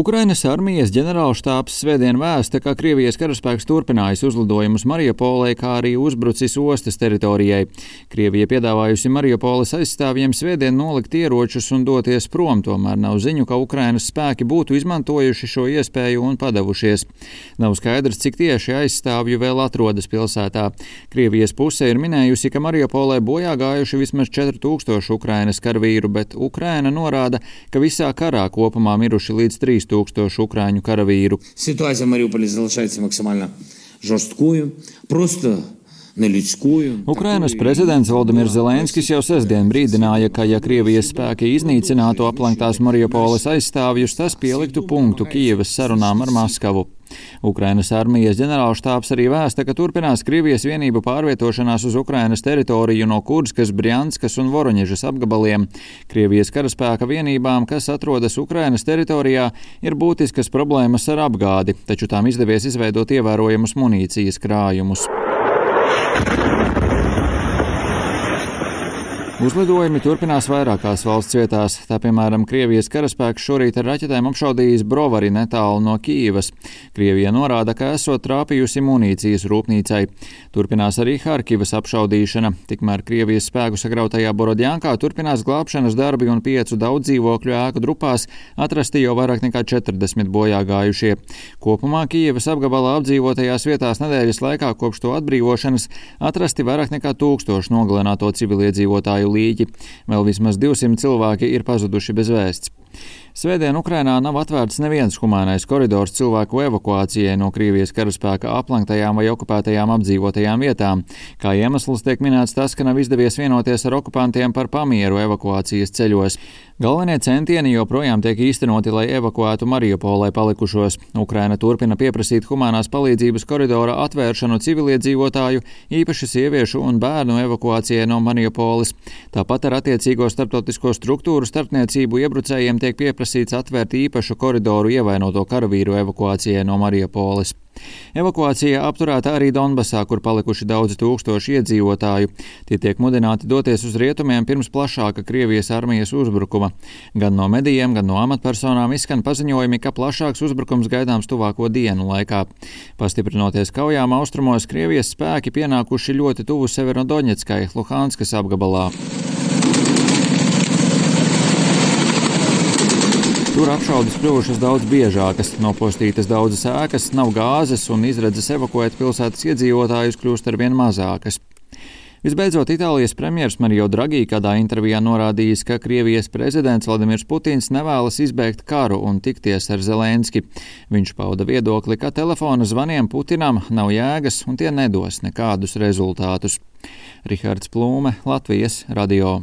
Ukrainas armijas ģenerālštābs svētdien vēsta, ka Krievijas karaspēks turpinājis uzlidojumus Mariupolē, kā arī uzbrucis ostas teritorijai. Krievija piedāvājusi Mariupoles aizstāvjiem svētdien nolikt ieročus un doties prom, tomēr nav ziņu, ka Ukrainas spēki būtu izmantojuši šo iespēju un padavušies. Nav skaidrs, cik tieši aizstāvju vēl atrodas pilsētā. Krievijas puse ir minējusi, ka Mariupolē bojā gājuši vismaz 4000 Ukrainas karavīru, bet Ukraina norāda, ka visā karā kopumā miruši līdz 3000 ukraiņu karavīru. Ситуация в Мариуполе залишается максимально жесткую, просто neļudskую. Ukrainas prezidents Volodimirs Zelenskis jau sestdien brīdināja, ka ja Krievijas spēki iznīcinātu aplenktās Mariupoles aizstāvjus, tas pieliktu punktu Kijevas sarunām ar Maskavu. Ukrainas armijas ģenerālštābs arī vēsta, ka turpinās Krievijas vienību pārvietošanās uz Ukrainas teritoriju no Kurskas, Brjanskas un Voroņežas apgabaliem. Krievijas karaspēka vienībām, kas atrodas Ukrainas teritorijā, ir būtiskas problēmas ar apgādi, taču tām izdevies izveidot ievērojamus munīcijas krājumus. Uzlidojumi turpinās vairākās valsts vietās. Tā, piemēram, Krievijas karaspēks šorīt ar raķetēm apšaudījis Brovari netālu no Kijivas. Krievija norāda, ka esot trāpījusi munīcijas rūpnīcai. Turpinās arī Harkivas apšaudīšana. Tikmēr Krievijas spēku sagrautajā Borodjankā turpinās glābšanas darbi un 5 daudzdzīvokļu ēku drupās atrasti jau vairāk nekā 40 bojā gājušie. Kopumā Kijivas apgabalā apdzīvotajās vietās nedēļas laikā kopš to atbrīvošanas atrasti vairāk nekā 1000 nogalināto civiliedzīvotāju līķi. Vēl vismaz 200 cilvēki ir pazuduši bez vēsts. Svētdien Ukrainā nav atvērts neviens humānais koridors cilvēku evakuācijai no Krievijas karaspēka aplenktajām vai okupētajām apdzīvotajām vietām. Kā iemesls tiek minēts tas, ka nav izdevies vienoties ar okupantiem par pamieru evakuācijas ceļos. Galvenie centieni joprojām tiek īstenoti, lai evakuētu Mariupolē palikušos. Ukraina turpina pieprasīt humānās palīdzības koridora atvēršanu civiliedzīvotāju, īpaši sieviešu un bērnu evakuācijai no Mariupoles. Tāpat ar attiecīgo starptautisko struktūru starpniecību iebrucējiem tiek pieprasīts atvērt īpašu koridoru ievainoto karavīru evakuācijai no Mariupoles. Evakuācija apturēta arī Donbasā, kur palikuši daudzi tūkstoši iedzīvotāju. Tie tiek mudināti doties uz rietumiem pirms plašāka Krievijas armijas uzbrukuma. Gan no medijiem, gan no amatpersonām izskan paziņojumi, ka plašāks uzbrukums gaidāms tuvāko dienu laikā. Pastiprinoties kaujām austrumos, Krievijas spēki pienākuši ļoti tuvu Severodoņetskai, Luhanskas apgabalā. Tur apšaudes kļuvušas daudz biežākas, nopostītas daudzas ēkas, nav gāzes un izredzes evakuēt pilsētas iedzīvotājus kļūst arvien mazākas. Visbeidzot, Itālijas premjers Mario Draghi kādā intervijā norādījis, ka Krievijas prezidents Vladimirs Putins nevēlas izbēgt karu un tikties ar Zelenski. Viņš pauda viedokli, ka telefona zvaniem Putinam nav jēgas un tie nedos nekādus rezultātus. Rihards Plūme, Latvijas radio.